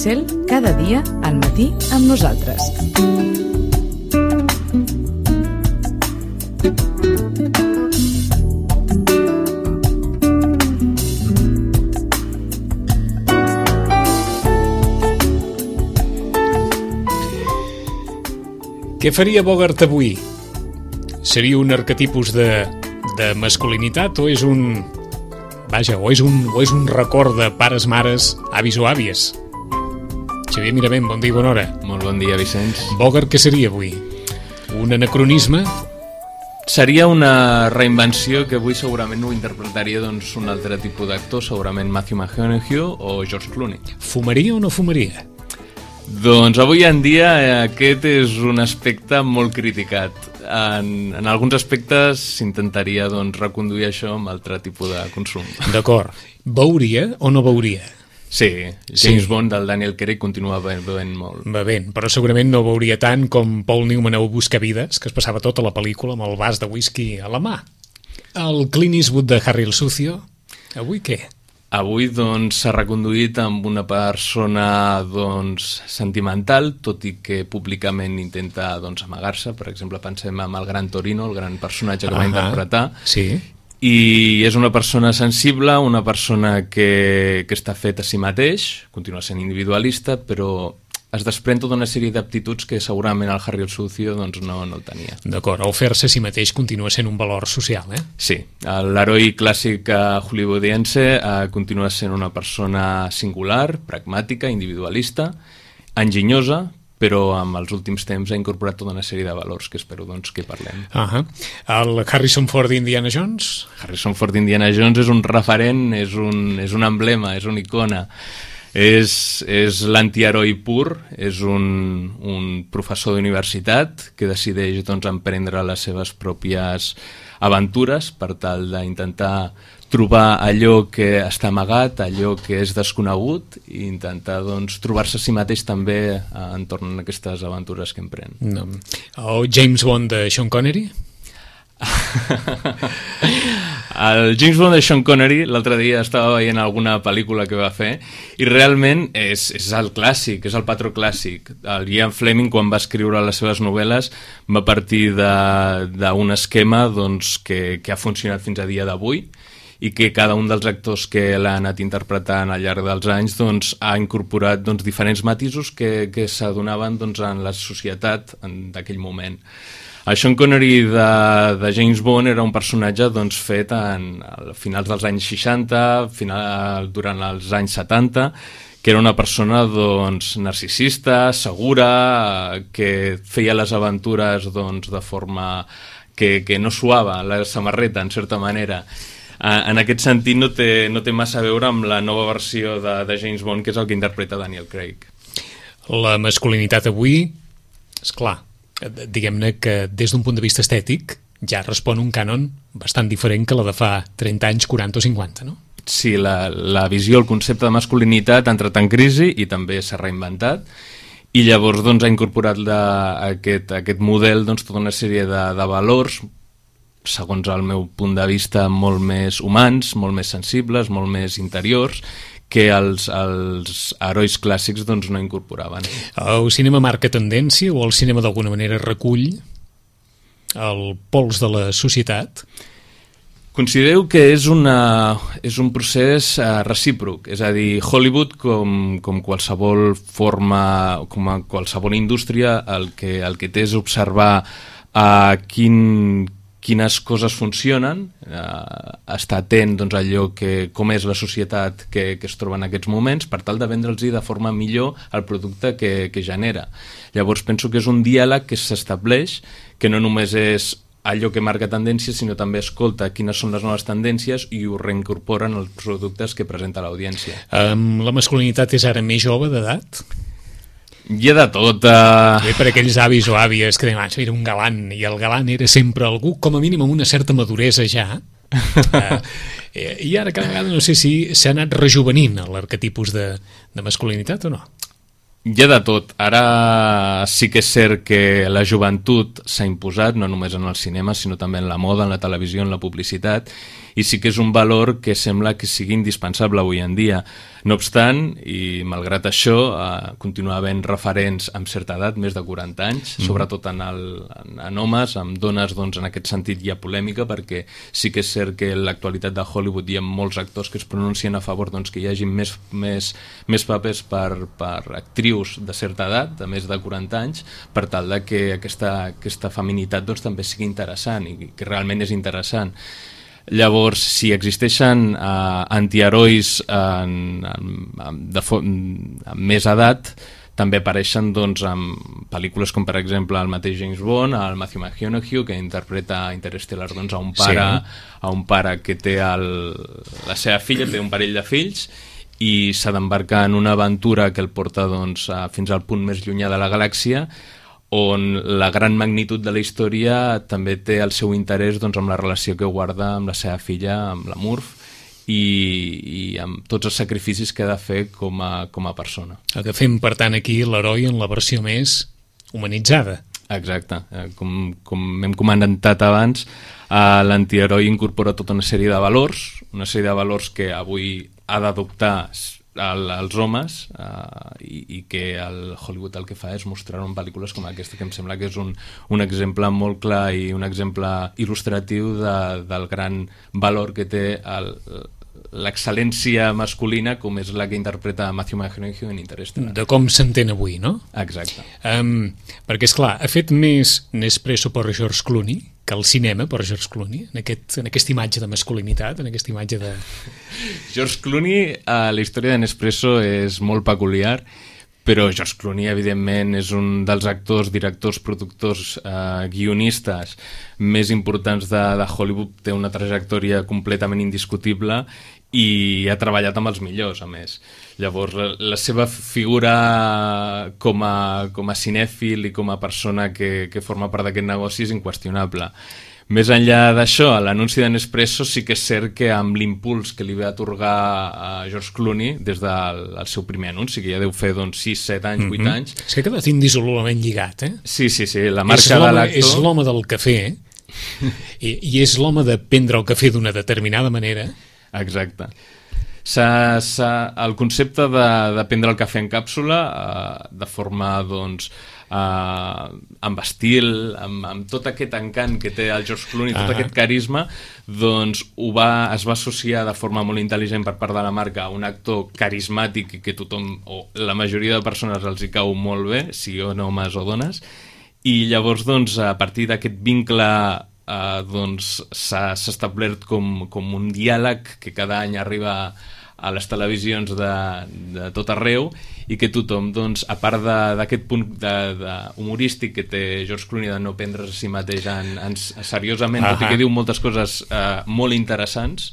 Cel, cada dia al matí amb nosaltres. Què faria Bogart avui? Seria un arquetipus de masculinitat o és un... Vaja, o és un record de pares, mares, avis o àvies? Xavier Miravent, bon dia i bona hora. Molt bon dia, Vicenç. Bogart què seria avui? Un anacronisme? Seria una reinvenció que avui segurament ho interpretaria doncs, un altre tipus d'actor, segurament Matthew McConaughey o George Clooney. Fumaria o no fumaria? Doncs avui en dia aquest és un aspecte molt criticat. En alguns aspectes s'intentaria doncs, reconduir això amb altre tipus de consum. D'acord. Veuria o no veuria? Sí, James Bond del Daniel Craig continua bevent molt. Bevent, però segurament no veuria tant com Paul Newman a Buscavides, que es passava tota la pel·lícula amb el vas de whisky a la mà. El Clint Eastwood de Harry el Sucio, avui què? Avui doncs s'ha reconduït amb una persona doncs sentimental, tot i que públicament intenta doncs amagar-se. Per exemple, pensem en el Gran Torino, el gran personatge que va interpretar. Sí. I és una persona sensible, una persona que està fet a si mateix, continua sent individualista, però es desprèn tota una sèrie d'aptituds que segurament el Harry el Sucio doncs, no el tenia. D'acord, el fer-se a si mateix continua sent un valor social, eh? Sí, l'heroi clàssic hollywoodiense continua sent una persona singular, pragmàtica, individualista, enginyosa, però amb els últims temps ha incorporat tota una sèrie de valors que espero doncs, que parlem. El Harrison Ford d'Indiana Jones? Harrison Ford d'Indiana Jones és un referent, és un emblema, és una icona. És l'antiheroi pur, és un professor d'universitat que decideix doncs, emprendre les seves pròpies aventures per tal d'intentar trobar allò que està amagat, allò que és desconegut i intentar doncs, trobar-se a si mateix també entorn a aquestes aventures que emprèn. No. El James Bond de Sean Connery? El James Bond de Sean Connery l'altre dia estava veient alguna pel·lícula que va fer i realment és el clàssic, és el patró clàssic. El Ian Fleming, quan va escriure les seves novel·les, va partir d'un esquema doncs, que ha funcionat fins a dia d'avui i que cada un dels actors que l'ha anat interpretant al llarg dels anys doncs, ha incorporat doncs, diferents matisos que s'adonaven doncs, en la societat d'aquell moment. El Sean Connery de James Bond era un personatge doncs, fet a finals dels anys 60, durant els anys 70, que era una persona doncs, narcisista, segura, que feia les aventures doncs, de forma que no suava la samarreta, en certa manera. En aquest sentit no té massa a veure amb la nova versió de James Bond, que és el que interpreta Daniel Craig. La masculinitat avui, esclar, diguem-ne que des d'un punt de vista estètic ja respon un cànon bastant diferent que la de fa 30 anys, 40 o 50, no? Sí, la visió, el concepte de masculinitat ha entrat en crisi i també s'ha reinventat i llavors doncs, ha incorporat aquest model doncs, tota una sèrie de valors, segons el meu punt de vista, molt més humans, molt més sensibles, molt més interiors, que els herois clàssics doncs, no incorporaven. El cinema marca tendència o el cinema d'alguna manera recull el pols de la societat? Considero que és un procés recíproc, és a dir, Hollywood com qualsevol forma, com a qualsevol indústria, el que té és observar quines coses funcionen, estar atent doncs, a allò com és la societat que es troba en aquests moments per tal de vendre'ls de forma millor el producte que genera. Llavors penso que és un diàleg que s'estableix, que no només és allò que marca tendències, sinó també escolta quines són les noves tendències i ho reincorporen els productes que presenta l'audiència. La masculinitat és ara més jove d'edat? Hi ha de tot. Bé, per aquells avis o àvies que deien, era un galant, i el galant era sempre algú, com a mínim amb una certa maduresa ja. I ara cada vegada no sé si s'ha anat rejuvenint l'arquetipus de masculinitat o no. Hi ha de tot. Ara sí que és cert que la joventut s'ha imposat, no només en el cinema, sinó també en la moda, en la televisió, en la publicitat, i sí que és un valor que sembla que sigui indispensable avui en dia. No obstant, i malgrat això, continua havent referents amb certa edat, més de 40 anys, sobretot en homes, amb dones, doncs en aquest sentit hi ha polèmica, perquè sí que és cert que en l'actualitat de Hollywood hi ha molts actors que es pronuncien a favor doncs, que hi hagi més papers per actrius de certa edat, de més de 40 anys, per tal de que aquesta feminitat doncs, també sigui interessant, i que realment és interessant. Llavors, si existeixen antiherois amb més edat, també apareixen doncs, en pel·lícules com per exemple el mateix James Bond, el Matthew McConaughey, que interpreta a Interstellar doncs, a un pare que té la seva filla, té un parell de fills, i s'ha d'embarcar en una aventura que el porta doncs, fins al punt més llunyà de la galàxia, on la gran magnitud de la història també té el seu interès doncs, amb la relació que guarda amb la seva filla, amb la Murph, i amb tots els sacrificis que ha de fer com a persona. Agafem, per tant, aquí l'heroi en la versió més humanitzada. Exacte. Com hem comentat abans, l'antiheroi incorpora tota una sèrie de valors que avui ha d'adoptar als homes, i que el Hollywood el que fa és mostrar en pel·lícules com aquesta, que em sembla que és un exemple molt clar i un exemple il·lustratiu del gran valor que té l'excel·lència masculina, com és la que interpreta Matthew McConaughey en Interstellar. De com s'entén avui, no? Exacte. Perquè, esclar, ha fet més Nespresso per George Clooney que el cinema per George Clooney, en aquesta imatge de masculinitat, en aquesta imatge de... George Clooney, la història de Nespresso és molt peculiar, però George Clooney, evidentment, és un dels actors, directors, productors, guionistes més importants de Hollywood, té una trajectòria completament indiscutible i ha treballat amb els millors, a més. Llavors, la seva figura com a cinèfil i com a persona que forma part d'aquest negoci és inqüestionable. Més enllà d'això, l'anunci de Nespresso sí que és cert que amb l'impuls que li va atorgar a George Clooney des del seu primer anunci, que ja deu fer 6, 7 anys, 8 anys... És que ha quedat indissolublement lligat, eh? Sí, la marca de l'actor... És l'home del cafè, i és l'home de prendre el cafè d'una determinada manera. Exacte. El concepte de prendre el cafè en càpsula de forma doncs, amb estil, amb tot aquest encant que té el George Clooney, tot aquest carisma, doncs es va associar de forma molt intel·ligent per part de la marca a un actor carismàtic i que tothom, o la majoria de persones els hi cau molt bé, siguin homes o dones, i llavors doncs, a partir d'aquest vincle s'ha establert com un diàleg que cada any arriba a les televisions de tot arreu, i que tothom, doncs, a part d'aquest punt humorístic que té George Clooney de no prendre's a si mateix seriosament, tot i que diu moltes coses molt interessants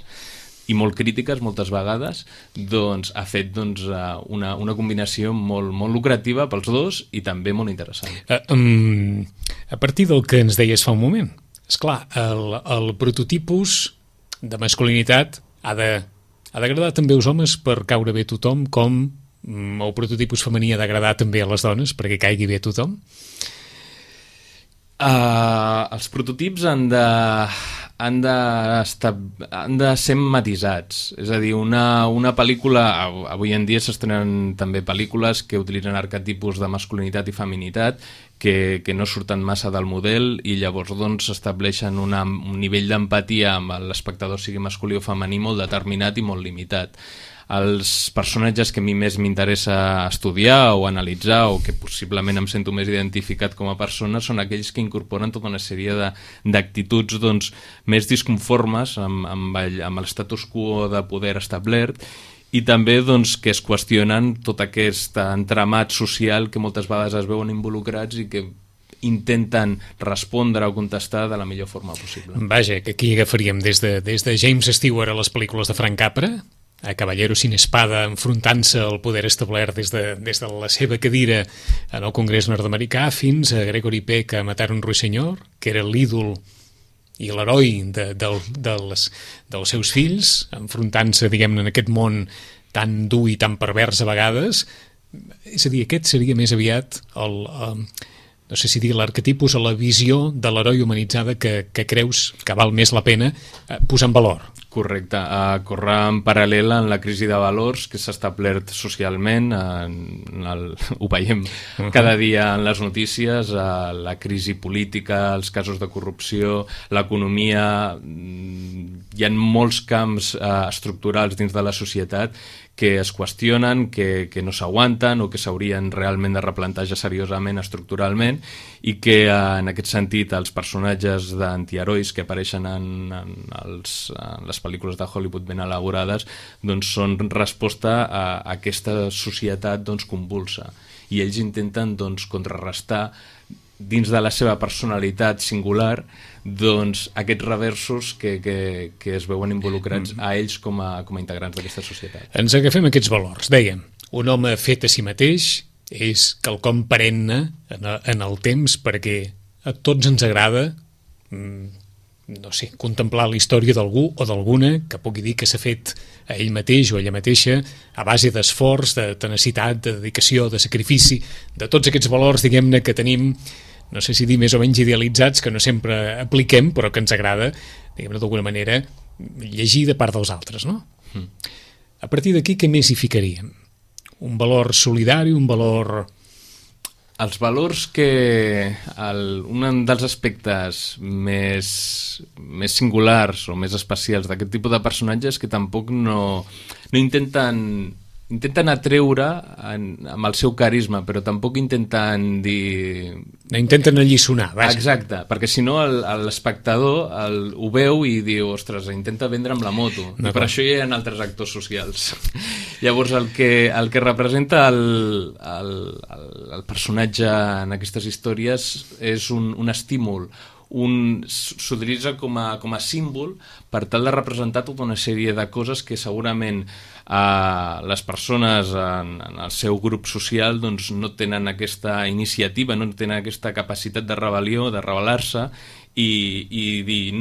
i molt crítiques moltes vegades, doncs ha fet una combinació molt, molt lucrativa pels dos i també molt interessant. A partir del que ens deies fa un moment, esclar, el prototipus de masculinitat ha d'agradar també als homes per caure bé a tothom, com el prototipus femení ha d'agradar també a les dones perquè caigui bé a tothom? Els prototips han de ser matisats, és a dir, una pel·lícula, avui en dia s'estrenen també pel·lícules que utilitzen arquetipus de masculinitat i feminitat que no surten massa del model, i llavors doncs estableixen un nivell d'empatia amb l'espectador, sigui masculí o femení, molt determinat i molt limitat. Els personatges que a mi més m'interessa estudiar o analitzar, o que possiblement em sento més identificat com a persona, són aquells que incorporen tota una sèrie d'actituds doncs, més disconformes amb l'estatus quo de poder establert, i també doncs, que es qüestionen tot aquest entramat social que moltes vegades es veuen involucrats i que intenten respondre o contestar de la millor forma possible. Vaja, que aquí agafaríem des de James Stewart a les pel·lícules de Frank Capra, a Caballero sin espada, enfrontant-se al poder establert des de la seva cadira en el Congrés nord-americà, fins a Gregory Peck a Matar un ruixenyor, que era l'ídol i l'heroi dels seus fills, enfrontant-se, diguem-ne, en aquest món tan dur i tan pervers a vegades, És a dir, aquest seria més aviat no sé si dir l'arquetipus o la visió de l'heroi humanitzada que creus que val més la pena posar en valor. Correcte. Corre en paral·lel en la crisi de valors que s'ha establert socialment, ho veiem cada dia en les notícies, la crisi política, els casos de corrupció, l'economia. Hi ha molts camps estructurals dins de la societat que es qüestionen, que no s'aguanten o que s'haurien realment de replantejar seriosament, estructuralment, i que en aquest sentit els personatges d'antiherois que apareixen en les pel·lícules de Hollywood ben elaborades doncs són resposta a aquesta societat convulsa, i ells intenten contrarrestar dins de la seva personalitat singular aquests reversos que es veuen involucrats a ells com a integrants d'aquesta societat. Ens agafem aquests valors. Dèiem, un home fet a si mateix és quelcom perenne en el temps, perquè a tots ens agrada no sé, contemplar la història d'algú o d'alguna que pugui dir que s'ha fet a ell mateix o a ella mateixa a base d'esforç, de tenacitat, de dedicació, de sacrifici, de tots aquests valors, diguem-ne, que tenim, no sé si dir més o menys idealitzats, que no sempre apliquem, però que ens agrada, diguem-ne, d'alguna manera, llegir de part dels altres, no? A partir d'aquí, què més hi ficaríem? Un valor solidari, un valor... Els valors un dels aspectes més singulars o més especials d'aquest tipus de personatges que tampoc no intenten atreure amb el seu carisma, però tampoc intenten dir... No intenten alliçonar, vaja. Exacte, perquè si no l'espectador ho veu i diu, ostres, intenta vendre amb la moto. I per això hi ha altres actors socials. Llavors el que representa el personatge en aquestes històries és un estímul, s'utilitza com a símbol per tal de representar tota una sèrie de coses que segurament les persones en el seu grup social no tenen aquesta iniciativa, no tenen aquesta capacitat de rebel·lió, de rebel·lar-se i dir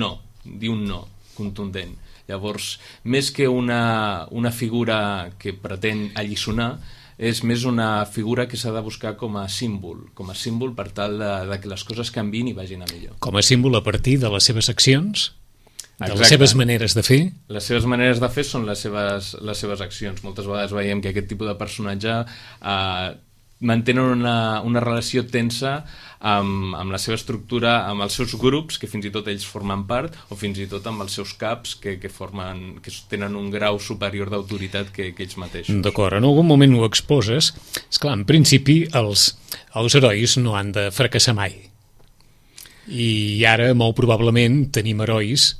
un no contundent. Llavors, més que una figura que pretén alliçonar, és més una figura que s'ha de buscar com a símbol per tal de que les coses canviïn i vagin a millor. Com a símbol a partir de les seves accions, de les seves maneres de fer. Les seves maneres de fer són les seves accions. Moltes vegades veiem que aquest tipus de personatge mantenen una relació tensa amb la seva estructura, amb els seus grups, que fins i tot ells formen part, o fins i tot amb els seus caps, que tenen un grau superior d'autoritat que ells mateixos. D'acord, en algun moment ho exposes. Esclar, en principi els herois no han de fracassar mai. I ara, molt probablement, tenim herois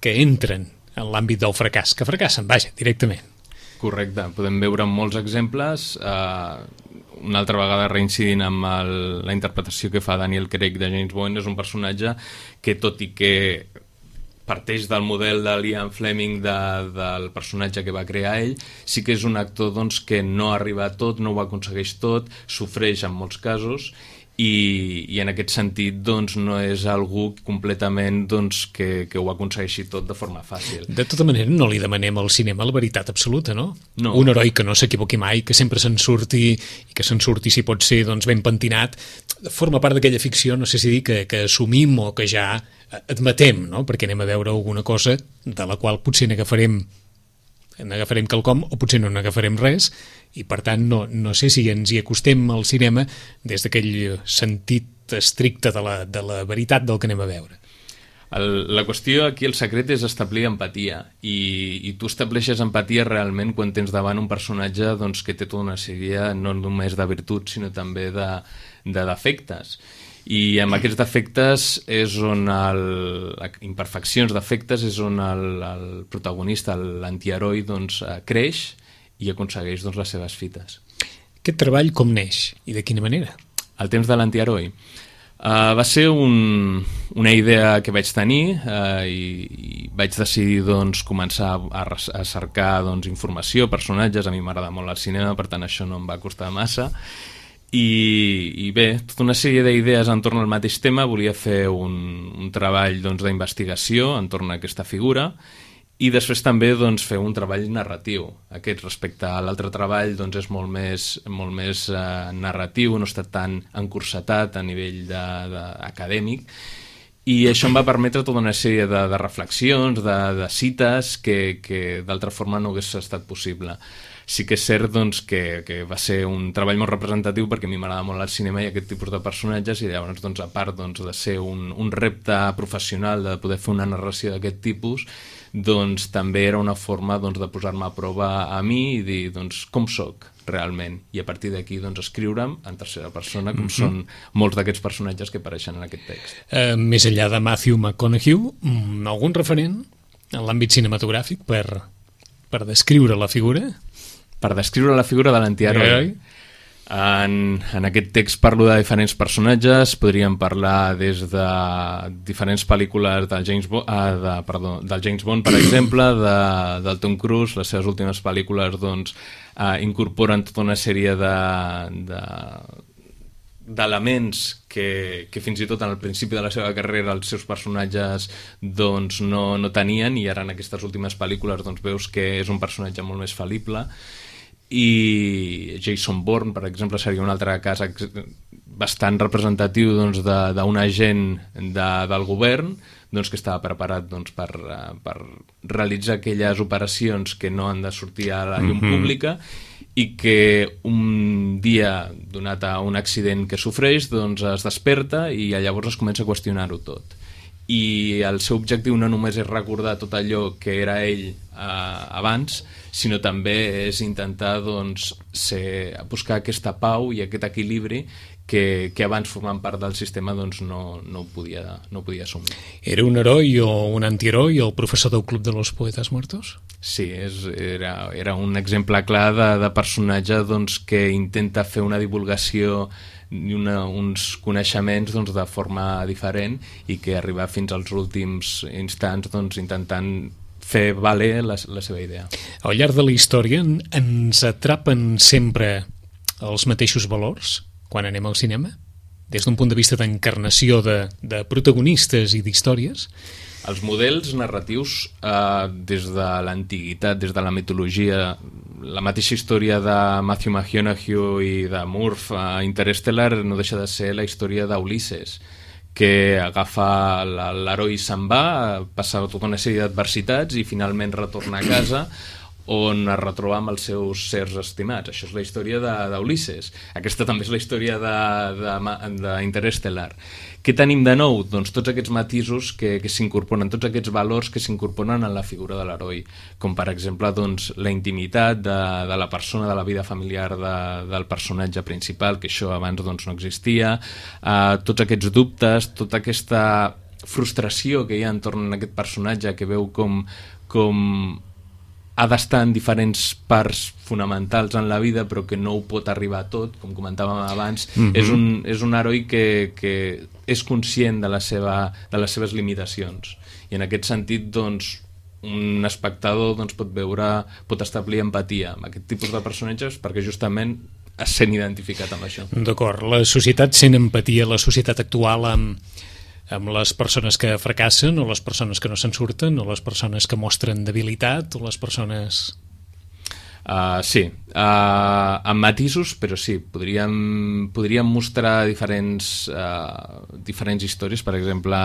que entren en l'àmbit del fracàs, que fracassen, vaja, directament. Correcte, podem veure molts exemples, una altra vegada reincidint amb la interpretació que fa Daniel Craig de James Bond. És un personatge que, tot i que parteix del model de Ian Fleming del personatge que va crear ell, sí que és un actor que no arriba a tot, no ho aconsegueix tot, sofreix en molts casos, i en aquest sentit no és algú completament que ho aconsegueixi tot de forma fàcil. De tota manera, no li demanem al cinema la veritat absoluta, no? No. Un heroi que no s'equivoqui mai, que sempre se'n surti, i que se'n surti, si pot ser, ben pentinat, forma part d'aquella ficció, no sé si dir, que assumim o que ja admetem, no? Perquè anem a veure alguna cosa de la qual potser n'agafarem quelcom o potser no n'agafarem res, i per tant no sé si ens hi acostem al cinema des d'aquell sentit estricte de la veritat del que anem a veure. La qüestió aquí, el secret, és establir empatia, i tu estableixes empatia realment quan tens davant un personatge que té tota una sèrie no només de virtuts sinó també de defectes. I amb aquests defectes és on imperfeccions defectes és on el protagonista, l'antiheroi, creix i aconsegueix les seves fites. Aquest treball com neix i de quina manera? El temps de l'antiheroi va ser una idea que vaig tenir i vaig decidir començar a cercar informació, personatges. A mi m'agrada molt el cinema, per tant això no em va costar massa. I bé, tota una sèrie d'idees entorn al mateix tema. Volia fer un treball d'investigació entorn a aquesta figura I després també doncs, fer un treball narratiu. Aquest respecte a l'altre treball doncs, és molt més narratiu, no està tan encursetat a nivell acadèmic, i això em va permetre tota una sèrie de reflexions, de cites que d'altra forma no hagués estat possible. Sí que és cert doncs, que va ser un treball molt representatiu perquè a mi m'agrada molt el cinema i aquest tipus de personatges, i llavors doncs, a part doncs, de ser un repte professional de poder fer una narració d'aquest tipus, doncs també era una forma doncs, de posar-me a prova a mi i dir doncs, com sóc realment, i a partir d'aquí doncs, escriure'm en tercera persona, com són molts d'aquests personatges que apareixen en aquest text. Més enllà de Matthew McConaughey, algun referent en l'àmbit cinematogràfic per descriure la figura? Per descriure la figura de l'antiheroi. En aquest text parlo de diferents personatges, podríem parlar des de diferents pel·lícules del James Bond, per exemple, del Tom Cruise. Les seves últimes pel·lícules doncs, incorporen tota una sèrie d'elements que fins i tot al principi de la seva carrera els seus personatges doncs, no tenien, i ara en aquestes últimes pel·lícules doncs, veus que és un personatge molt més fal·lible. I Jason Bourne, per exemple, seria un altre cas bastant representatiu doncs, d'un agent del govern doncs, que estava preparat doncs, per realitzar aquelles operacions que no han de sortir a la llum pública, i que un dia, donat a un accident que sofreix, doncs es desperta i llavors es comença a qüestionar-ho tot. I el seu objectiu no només és recordar tot allò que era ell abans, sinó també és intentar doncs, buscar aquesta pau i aquest equilibri que abans formant part del sistema doncs, no podia assumir. Era un heroi o un antiheroi el professor del Club de los Poetas Muertos? Sí, era un exemple clar de personatge doncs, que intenta fer una divulgació i uns coneixements doncs, de forma diferent, i que arriba fins als últims instants doncs, intentant fer valer la seva idea. Al llarg de la història ens atrapen sempre els mateixos valors quan anem al cinema? Des d'un punt de vista d'encarnació de protagonistes i d'històries? Els models narratius, des de l'antiguitat, des de la mitologia, la mateixa història de Matthew McConaughey i de Murph a Interstellar no deixa de ser la història d'Ulisses, que agafa l'heroi, se'n va, passa tota una sèrie d'adversitats i finalment retorna a casa, on es retroba amb els seus sers estimats. Això és la història d'Ulisses. Aquesta també és la història d'Interstellar. Què tenim de nou? Doncs tots aquests matisos que s'incorporen, tots aquests valors que s'incorporen en la figura de l'heroi, com per exemple doncs, la intimitat de la persona, de la vida familiar del personatge principal, que això abans doncs, no existia, tots aquests dubtes, tota aquesta frustració que hi ha entorn a aquest personatge, que veu com ha d'estar en diferents parts fonamentals en la vida, però que no ho pot arribar a tot, com comentàvem abans. És un heroi que és conscient de les seves limitacions, i en aquest sentit doncs, un espectador doncs, pot establir empatia amb aquest tipus de personatges perquè justament es sent identificat amb això. D'acord, la societat sent empatia, la societat actual amb les persones que fracassen, o les persones que no se'n surten, o les persones que mostren debilitat, o les persones... Sí, amb matisos, però sí, podríem mostrar diferents històries. Per exemple,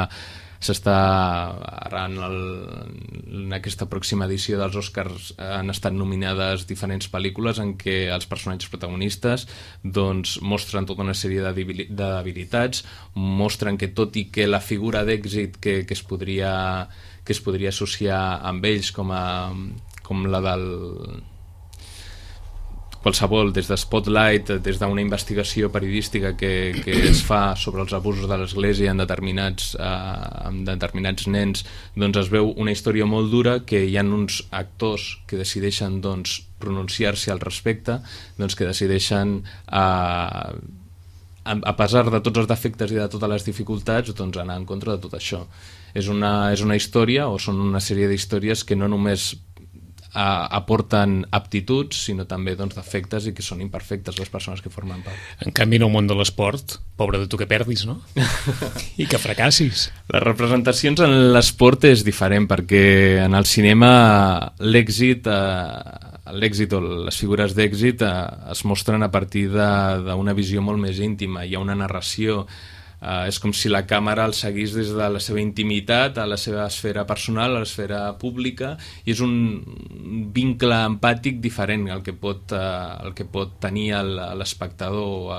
ara en aquesta pròxima edició dels Oscars han estat nominades diferents pel·lícules en què els personatges protagonistes doncs, mostren tota una sèrie de debilitats, mostren que tot i que la figura d'èxit que es podria associar amb ells com la del qualsevol, des de Spotlight, des d'una investigació periodística que es fa sobre els abusos de l'Església en determinats nens, doncs es veu una història molt dura, que hi ha uns actors que decideixen doncs, pronunciar-se al respecte, doncs, que decideixen a pesar de tots els defectes i de totes les dificultats, doncs anar en contra de tot això. És una història, o són una sèrie d'històries que no només aporten aptituds, sinó també doncs, defectes i que són imperfectes les persones que formen part. En canvi, en el món de l'esport, pobre de tu que perdis, no? I que fracassis. Les representacions en l'esport és diferent, perquè en el cinema l'èxit o les figures d'èxit es mostren a partir d'una visió molt més íntima. Hi ha una narració. És com si la càmera el seguís des de la seva intimitat a la seva esfera personal, a l'esfera pública, i és un vincle empàtic diferent el que pot tenir l'espectador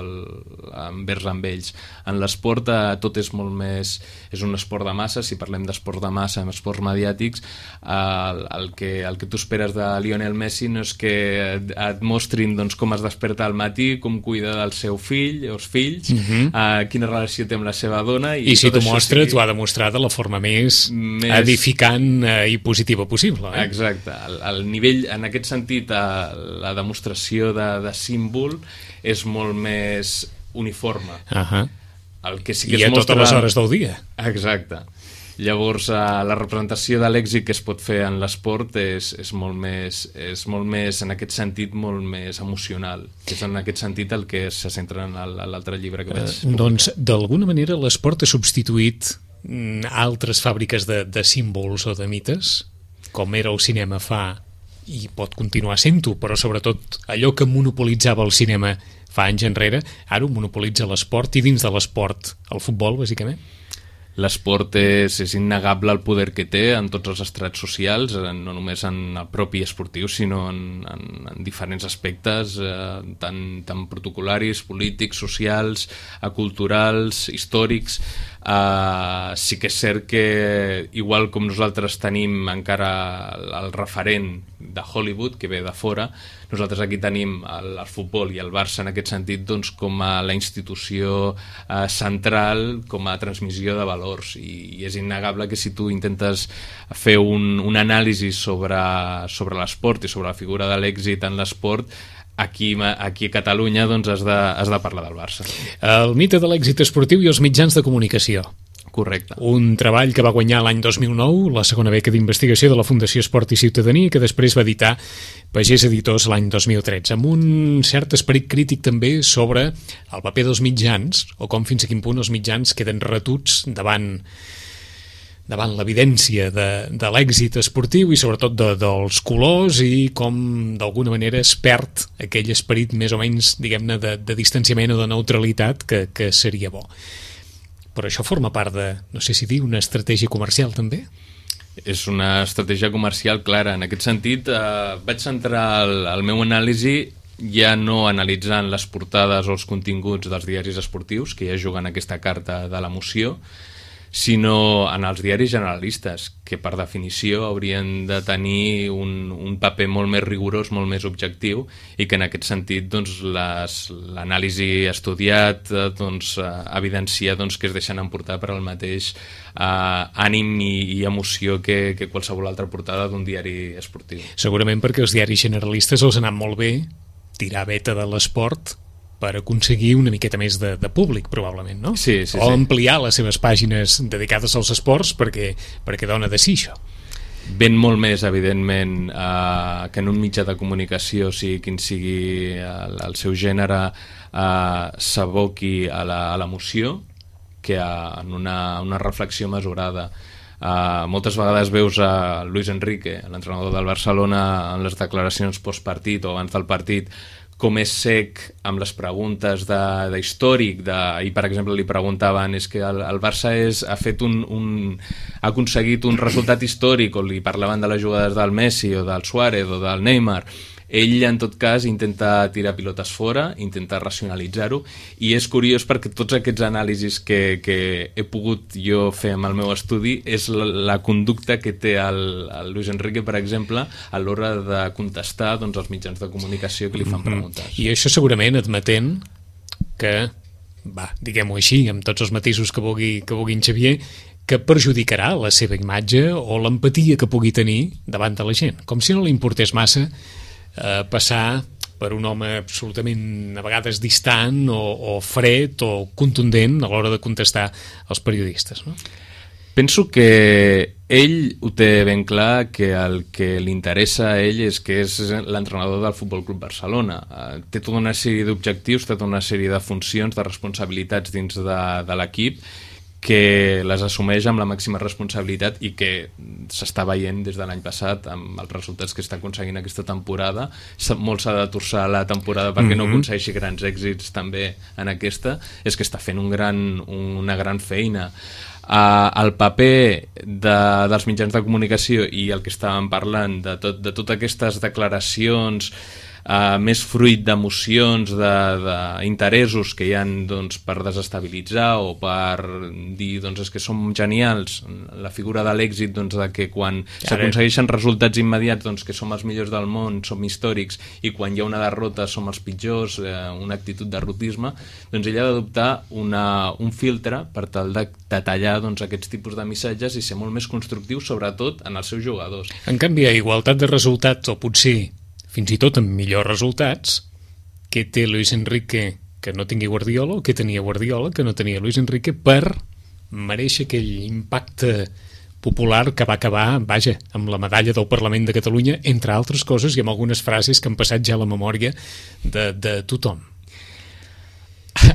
envers amb ells. En l'esport tot és molt més... És un esport de massa, si parlem d'esport de massa, amb esports mediàtics, el que tu esperes de Lionel Messi no és que et mostrin doncs, com es desperta al matí, com cuida del seu fill o els fills, quina relació amb la seva dona, i si t'ho mostra, t'ho ha de mostrar de la forma més edificant i positiva possible. Exacte. El nivell, en aquest sentit, la demostració de símbol és molt més uniforme. El que sí que I a totes les hores del dia. Exacte. Llavors, la representació de l'èxit que es pot fer en l'esport és molt més, en aquest sentit, molt més emocional. Que és en aquest sentit el que se centra en l'altre llibre que vaig publicar. Doncs, d'alguna manera, l'esport ha substituït altres fàbriques de símbols o de mites, com era el cinema fa, i pot continuar sent-ho, però sobretot allò que monopolitzava el cinema fa anys enrere, ara ho monopolitza l'esport, i dins de l'esport el futbol, bàsicament. L'esport és innegable el poder que té en tots els estrats socials, no només en el propi esportiu, sinó en diferents aspectes, tant protocolaris, polítics, socials, culturals, històrics. Sí que és cert que, igual com nosaltres tenim encara el referent de Hollywood, que ve de fora, nosaltres aquí tenim el futbol i el Barça en aquest sentit doncs, com a la institució central, com a transmissió de valors, i és innegable que si tu intentes fer un anàlisi sobre l'esport i sobre la figura de l'èxit en l'esport, aquí a Catalunya doncs, has de parlar del Barça. El mite de l'èxit esportiu i els mitjans de comunicació. Correcte. Un treball que va guanyar l'any 2009 la segona beca d'investigació de la Fundació Esport i Ciutadania, que després va editar Pagès Editors l'any 2013, amb un cert esperit crític també sobre el paper dels mitjans, o com fins a quin punt els mitjans queden retuts davant l'evidència de l'èxit esportiu i sobretot dels colors, i com d'alguna manera es perd aquell esperit més o menys, diguem-ne, de distanciament o de neutralitat que seria bo. Però això forma part de, no sé si dir, una estratègia comercial també? És una estratègia comercial clara. En aquest sentit, vaig centrar el meu anàlisi ja no analitzant les portades o els continguts dels diaris esportius, que ja juguen aquesta carta de l'emoció, sinó en els diaris generalistes, que per definició haurien de tenir un paper molt més rigorós, molt més objectiu, i que en aquest sentit doncs, l'anàlisi estudiat evidencia que es deixen emportar per al mateix ànim i emoció que qualsevol altra portada d'un diari esportiu. Segurament perquè els diaris generalistes els ha anat molt bé tirar veta de l'esport per aconseguir una miqueta més de públic, probablement, no? Sí. O ampliar les seves pàgines dedicades als esports perquè dona de si això. Ben molt més, evidentment, que en un mitjà de comunicació, sigui quin sigui el seu gènere, s'aboqui a l'emoció, que en una reflexió mesurada. Moltes vegades veus a Luis Enrique, l'entrenador del Barcelona, en les declaracions postpartit o abans del partit, com és sec amb les preguntes d'històric, i per exemple li preguntaven és que el Barça ha aconseguit un resultat històric, o li parlaven de les jugades del Messi o del Suárez o del Neymar. Ell, en tot cas, intenta tirar pilotes fora, intenta racionalitzar-ho, i és curiós perquè tots aquests anàlisis que he pogut jo fer amb el meu estudi és la conducta que té el Luis Enrique, per exemple, a l'hora de contestar als mitjans de comunicació que li fan preguntes. I això segurament admetent que, diguem-ho així, amb tots els matisos que vulgui en Xavier, que perjudicarà la seva imatge o l'empatia que pugui tenir davant de la gent. Com si no li importés massa passar per un home absolutament a vegades distant o fred o contundent a l'hora de contestar als periodistes, no? Penso que ell ho té ben clar, que el que li interessa a ell és que és l'entrenador del Futbol Club Barcelona. Té tota una sèrie d'objectius, té tota una sèrie de funcions, de responsabilitats dins de l'equip, que les assumeix amb la màxima responsabilitat i que s'està veient des de l'any passat amb els resultats que està aconseguint aquesta temporada. Molt s'ha de torçar la temporada perquè no aconsegueixi grans èxits també en aquesta, és que està fent una gran feina. El paper dels mitjans de comunicació i el que estàvem parlant de totes aquestes declaracions més fruit d'emocions, d'interessos que hi ha per desestabilitzar o per dir és que som genials, la figura de l'èxit de que quan s'aconsegueixen resultats immediats que som els millors del món, som històrics, i quan hi ha una derrota som els pitjors, una actitud de derrotisme, ell ha d'adoptar un filtre per tal de tallar aquests tipus de missatges i ser molt més constructiu, sobretot en els seus jugadors. En canvi, a igualtat de resultats, o potser fins i tot amb millors resultats, què té Luis Enrique que no tingui Guardiola, o què tenia Guardiola que no tenia Luis Enrique, per mereixer aquell impacte popular que va acabar, amb la medalla del Parlament de Catalunya, entre altres coses, i amb algunes frases que han passat ja a la memòria de tothom.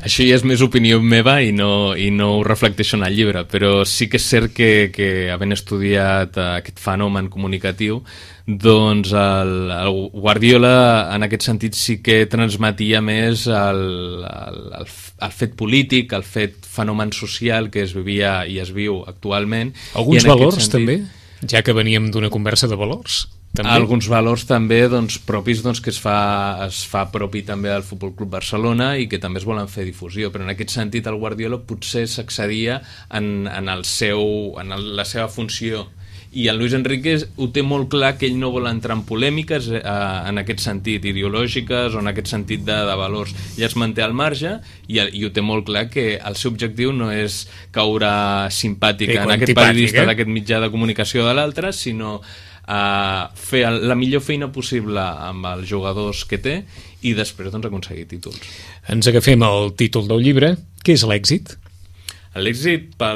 Això ja és més opinió meva i no ho reflecteixo en el llibre, però sí que és cert que havent estudiat aquest fenomen comunicatiu, el Guardiola en aquest sentit sí que transmetia més el fet polític, el fet fenomen social que es vivia i es viu actualment. Alguns valors també, ja que veníem d'una conversa de valors? També? Alguns valors també propis que es fa propi també al Futbol Club Barcelona i que també es volen fer difusió, però en aquest sentit el Guardiola potser s'excedia en la seva funció, i el Luis Enrique ho té molt clar, que ell no vol entrar en polèmiques en aquest sentit, ideològiques o en aquest sentit de valors. Ell es manté al marge i ho té molt clar, que el seu objectiu no és caure simpàtic en aquest periodista d'aquest mitjà de comunicació de l'altre, sinó fer la millor feina possible amb els jugadors que té i després aconseguir títols. Ens agafem al títol del llibre. Què és l'èxit? L'èxit per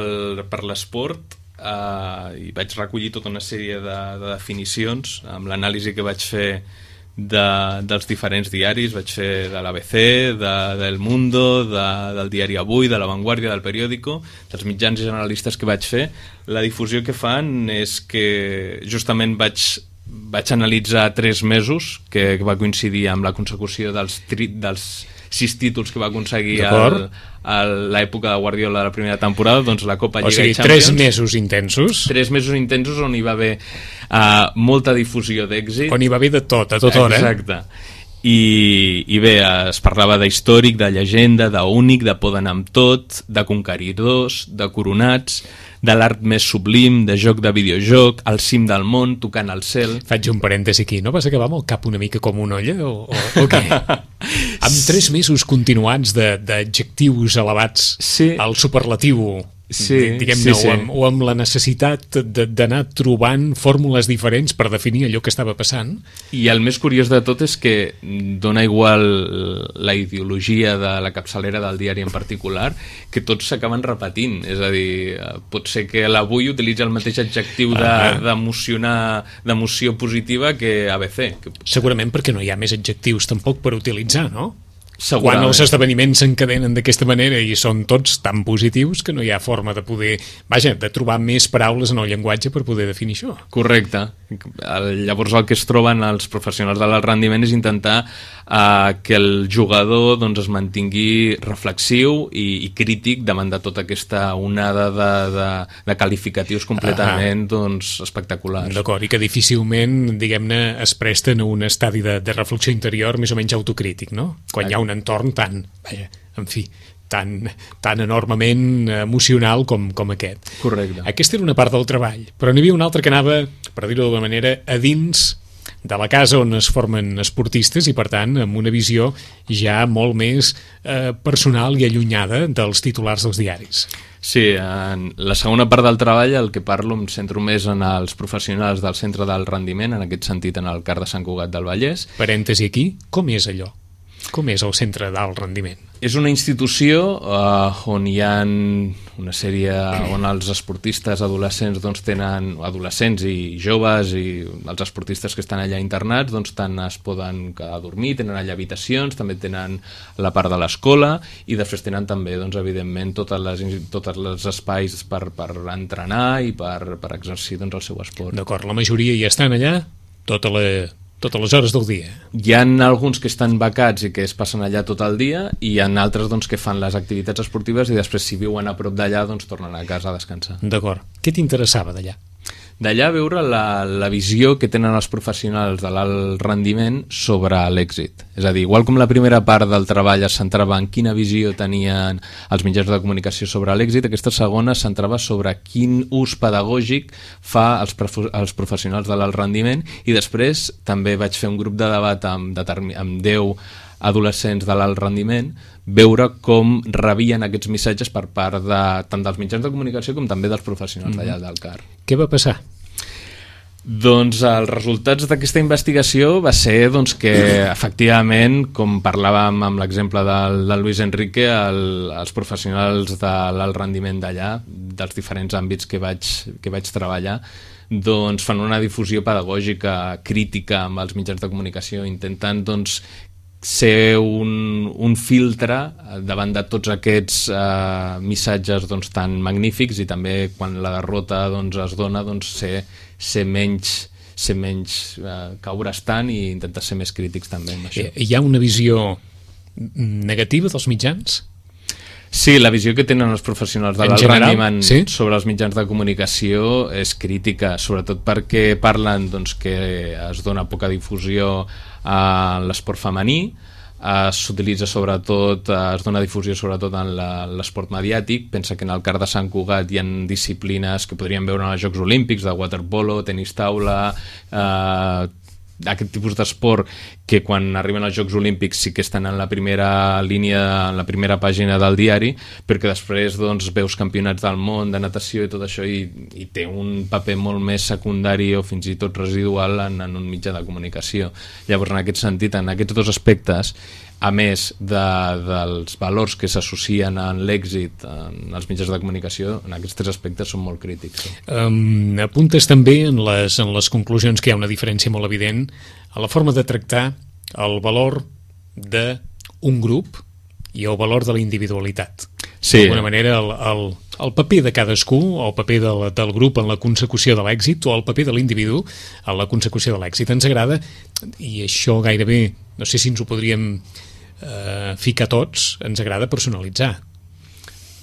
l'esport, i vaig recollir tota una sèrie de definicions amb l'anàlisi que vaig fer dels diferents diaris. Vaig fer de l'ABC, del Mundo, del diari Avui, de La Vanguardia, del Periódico, dels mitjans generalistes que vaig fer. La difusió que fan és que justament vaig analitzar 3 mesos que va coincidir amb la consecució dels 6 títols que va aconseguir a l'època de Guardiola de la primera temporada, la Copa Lliga i Champions. 3 mesos intensos. 3 mesos intensos on hi va haver molta difusió d'èxit. On hi va haver de tot, a tota hora. Exacte. I bé, es parlava d'històric, de llegenda, d'únic, de poder anar amb tot, de conqueridors, de coronats, de l'art més sublim, de joc de videojoc, al cim del món, tocant al cel. Faig un parèntesi aquí, no vas acabar amb el cap una mica com una olla o què? Amb 3 mesos continuats d'adjectius elevats al superlatiu, diguem-ne, o amb la necessitat d'anar trobant fórmules diferents per definir allò que estava passant. I el més curiós de tot és que dona igual la ideologia de la capçalera del diari en particular, que tots s'acaben repetint. És a dir, pot ser que l'Avui utilitza el mateix adjectiu d'emoció positiva que ABC. Segurament perquè no hi ha més adjectius tampoc per utilitzar, no? Quan els esdeveniments s'encadenen d'aquesta manera i són tots tan positius que no hi ha forma de poder, de trobar més paraules en el llenguatge per poder definir això. Correcte. Llavors el que es troben els professionals de l'alt rendiment és intentar que el jugador es mantingui reflexiu i crític davant de tota aquesta onada de qualificatius completament espectaculars. D'acord, i que difícilment, diguem-ne, es presten a un estadi de reflexió interior més o menys autocrític, no? Quan hi ha un entorn tan enormement emocional com aquest. Correcte. Aquesta era una part del treball, però n'hi havia una altra que anava, per dir-ho d'alguna manera, a dins de la casa on es formen esportistes i, per tant, amb una visió ja molt més personal i allunyada dels titulars dels diaris. Sí, en la segona part del treball el que parlo em centro més en els professionals del centre del rendiment, en aquest sentit en el CAR de Sant Cugat del Vallès. Parèntesi aquí, com és allò? Com és el Centre d'Alt Rendiment? És una institució on hi ha una sèrie on els esportistes adolescents doncs, tenen adolescents i joves i els esportistes que estan allà internats doncs, tant es poden quedar a dormir, tenen allà habitacions, també tenen la part de l'escola i després tenen també, doncs, evidentment, tots els espais per entrenar i per exercir doncs, el seu esport. D'acord, la majoria hi estan allà totes les hores del dia. Hi ha alguns que estan becats i que es passen allà tot el dia i hi ha altres doncs, que fan les activitats esportives i després si viuen a prop d'allà doncs tornen a casa a descansar. D'acord. Què t'interessava d'allà? D'allà veure la visió que tenen els professionals de l'alt rendiment sobre l'èxit. És a dir, igual com la primera part del treball es centrava en quina visió tenien els mitjans de comunicació sobre l'èxit, aquesta segona es centrava sobre quin ús pedagògic fa els professionals de l'alt rendiment i després també vaig fer un grup de debat amb 10 adolescents de l'alt rendiment, veure com rebien aquests missatges per part tant dels mitjans de comunicació com també dels professionals d'allà del CAR. Què va passar? Doncs els resultats d'aquesta investigació va ser doncs, que efectivament, com parlàvem amb l'exemple del Luis Enrique, els professionals de l'alt rendiment d'allà, dels diferents àmbits que vaig treballar, doncs fan una difusió pedagògica crítica amb els mitjans de comunicació, intenten doncs, ser un filtre davant de tots aquests missatges doncs, tan magnífics i també quan la derrota doncs, es dona doncs, ser menys caure's tant i intentar ser més crítics també amb això. Hi ha una visió negativa dels mitjans? Sí, la visió que tenen els professionals de l'alt rendiment sobre els mitjans de comunicació és crítica, sobretot perquè parlen doncs, que es dona poca difusió a l'esport femení, s'utilitza sobretot, es dona difusió sobretot en l'esport mediàtic. Pensa que en el CAR de Sant Cugat hi ha disciplines que podríem veure en els Jocs Olímpics, de waterpolo, tenis taula, aquest tipus d'esport que quan arriben als Jocs Olímpics sí que estan en la primera línia, en la primera pàgina del diari, perquè després doncs, veus campionats del món de natació i tot això i té un paper molt més secundari o fins i tot residual en un mitjà de comunicació. Llavors, en aquest sentit, en aquests dos aspectes, a més dels valors que s'associen en l'èxit en els mitjans de comunicació, en aquests tres aspectes són molt crítics. Apuntes també en les conclusions que hi ha una diferència molt evident a la forma de tractar el valor d'un grup i el valor de la individualitat. Sí. D'alguna manera el paper de cadascú o el paper del grup en la consecució de l'èxit o el paper de l'individu en la consecució de l'èxit. Ens agrada, i això gairebé, no sé si ens ho podríem ficar tots, ens agrada personalitzar.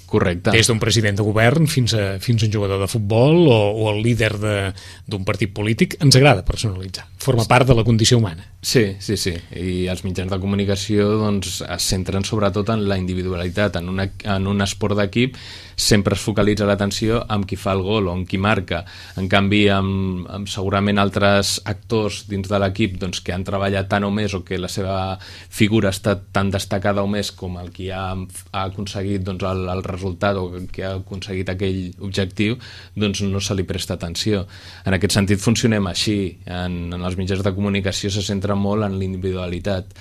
Correcte. Des d'un president de govern fins a un jugador de futbol o el líder d'un partit polític, ens agrada personalitzar. Forma part de la condició humana. Sí. I els mitjans de comunicació doncs, es centren sobretot en la individualitat. En un esport d'equip sempre es focalitza l'atenció amb qui fa el gol o amb qui marca. En canvi, amb segurament altres actors dins de l'equip doncs, que han treballat tant o més o que la seva figura ha estat tan destacada o més com el qui ha aconseguit doncs, el resultat o que ha aconseguit aquell objectiu, doncs no se li presta atenció. En aquest sentit funcionem així. En els mitjans de comunicació se centra molt en l'individualitat.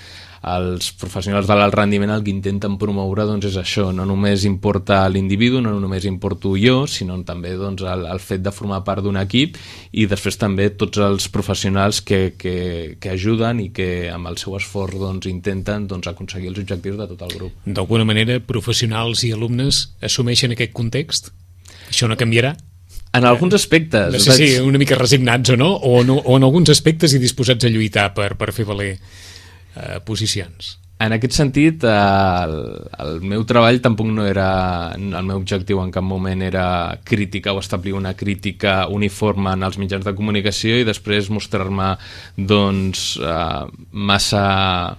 Els professionals de l'alt rendiment el que intenten promoure doncs, és això, no només importa l'individu, no només importo jo, sinó també doncs, el fet de formar part d'un equip i després també tots els professionals que ajuden i que amb el seu esforç doncs, intenten doncs, aconseguir els objectius de tot el grup. D'alguna manera, professionals i alumnes assumeixen aquest context? Això no canviarà? En alguns aspectes. No sé si una mica resignats o no, o en alguns aspectes i disposats a lluitar per fer valer posicions. En aquest sentit, el meu treball tampoc no era... El meu objectiu en cap moment era criticar o establir una crítica uniforme en els mitjans de comunicació i després mostrar-me doncs, massa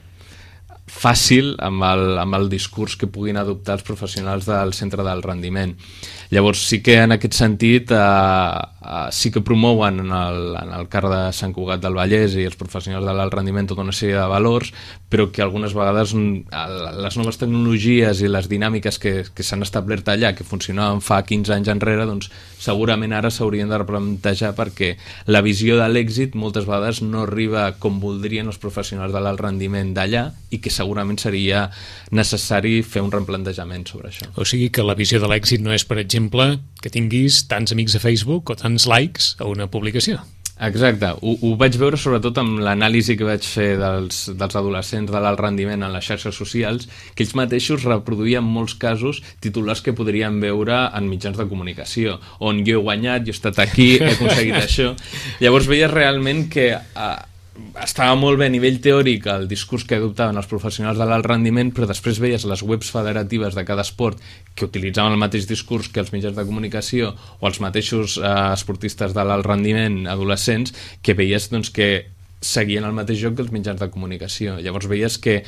fàcil amb el discurs que puguin adoptar els professionals del centre del rendiment. Llavors sí que en aquest sentit sí que promouen en el CAR de Sant Cugat del Vallès i els professionals de l'alt rendiment tota una sèrie de valors, però que algunes vegades les noves tecnologies i les dinàmiques que s'han establert allà, que funcionaven fa 15 anys enrere, doncs segurament ara s'haurien de replantejar, perquè la visió de l'èxit moltes vegades no arriba com voldrien els professionals de l'alt rendiment d'allà, i que segurament seria necessari fer un replantejament sobre això. O sigui que la visió de l'èxit no és, per exemple, que tinguis tants amics a Facebook o tants likes a una publicació. Exacte, ho vaig veure sobretot amb l'anàlisi que vaig fer dels adolescents de l'alt rendiment en les xarxes socials, que ells mateixos reproduïen en molts casos titulars que podrien veure en mitjans de comunicació, on jo he guanyat, jo he estat aquí, he aconseguit això. Llavors veies realment que estava molt bé a nivell teòric el discurs que adoptaven els professionals de l'alt rendiment, però després veies les webs federatives de cada esport que utilitzaven el mateix discurs que els mitjans de comunicació o els mateixos esportistes de l'alt rendiment adolescents, que veies doncs, que seguien el mateix joc que els mitjans de comunicació. Llavors veies que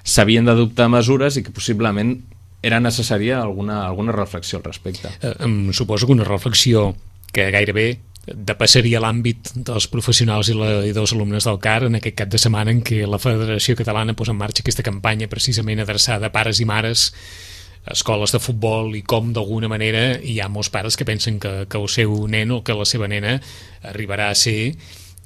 s'havien d'adoptar mesures i que possiblement era necessària alguna reflexió al respecte. Suposo que una reflexió que gairebé depassaria l'àmbit dels professionals i dels alumnes del CAR en aquest cap de setmana en què la Federació Catalana posa en marxa aquesta campanya precisament adreçada a pares i mares, escoles de futbol, i com d'alguna manera hi ha molts pares que pensen que el seu nen o que la seva nena arribarà a ser,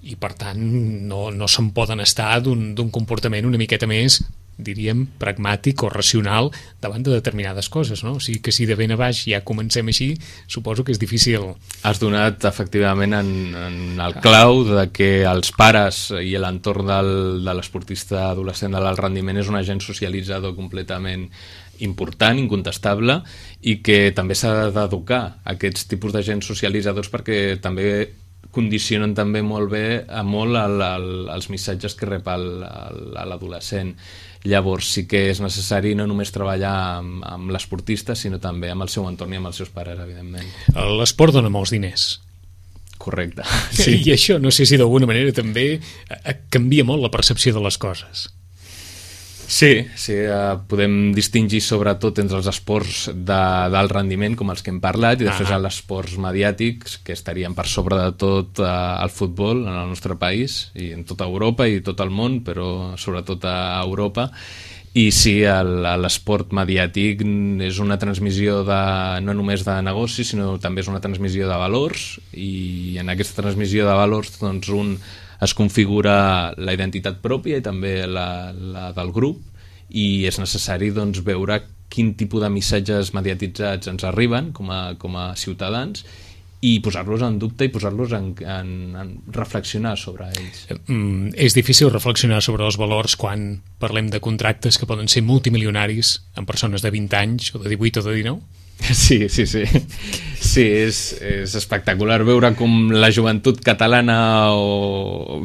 i per tant no se'n poden estar d'un comportament una miqueta més, diríem, pragmàtic o racional davant de determinades coses, no? O sigui que si de ben a baix ja comencem així, suposo que és difícil. Has donat efectivament en el clau de que els pares i l'entorn de l'esportista adolescent de l'alt rendiment és un agent socialitzador completament important, incontestable, i que també s'ha d'educar aquests tipus d'agents socialitzadors, perquè també condicionen també molt bé els missatges que rep l'adolescent. Llavors sí que és necessari no només treballar amb l'esportista, sinó també amb el seu entorn i amb els seus pares, evidentment. L'esport dona molts diners. Correcte. Sí. I això no sé si d'alguna manera també canvia molt la percepció de les coses. Sí, podem distingir sobretot entre els esports d'alt rendiment, com els que hem parlat, i després els esports mediàtics, que estarien per sobre de tot el futbol en el nostre país, i en tota Europa i tot el món, però sobretot a Europa. I sí, l'esport mediàtic és una transmissió no només de negocis, sinó també és una transmissió de valors, i en aquesta transmissió de valors doncs un es configura la identitat pròpia i també la del grup, i és necessari doncs, veure quin tipus de missatges mediatitzats ens arriben com a ciutadans i posar-los en dubte i posar-los en reflexionar sobre ells. És difícil reflexionar sobre els valors quan parlem de contractes que poden ser multimilionaris en persones de 20 anys o de 18 o de 19? Sí. Sí, és espectacular veure com la joventut catalana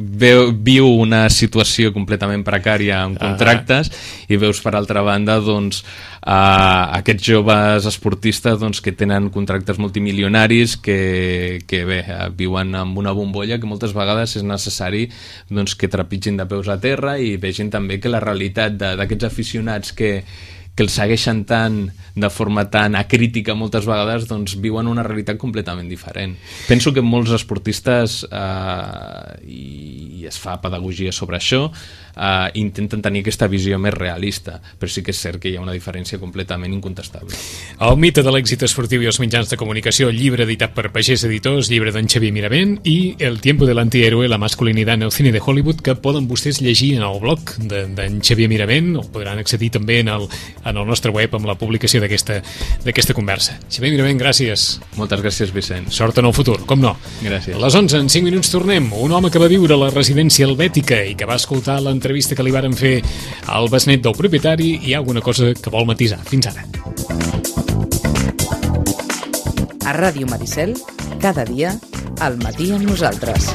viu una situació completament precària en contractes, i veus per altra banda doncs, aquests joves esportistes doncs, que tenen contractes multimilionaris que bé, viuen amb una bombolla que moltes vegades és necessari doncs, que trepitgin de peus a terra i vegin també que la realitat d'aquests aficionats que els segueixen tant, de forma tan acrítica moltes vegades, doncs viuen una realitat completament diferent. Penso que molts esportistes, i es fa pedagogia sobre això, intenten tenir aquesta visió més realista, però sí que és cert que hi ha una diferència completament incontestable. El mite de l'èxit esportiu i els mitjans de comunicació, llibre editat per Pagès Editors, llibre d'en Xavier Miravent, i El tiempo del antihéroe, la masculinidad en el cine de Hollywood, que poden vostès llegir en el blog d'en Xavier Miravent, o podran accedir també en el nostre web amb la publicació d'aquesta conversa. Xavier Miravent, gràcies. Moltes gràcies, Vicent. Sort en el futur, com no. Gràcies. A les 11, en 5 minuts tornem. Un home que va viure a la residència helvètica i que va escoltar l'entrevista que li varen fer al besnet del propietari, i hi ha alguna cosa que vol matisar. Fins ara. A Ràdio Maricel, cada dia, al matí amb nosaltres.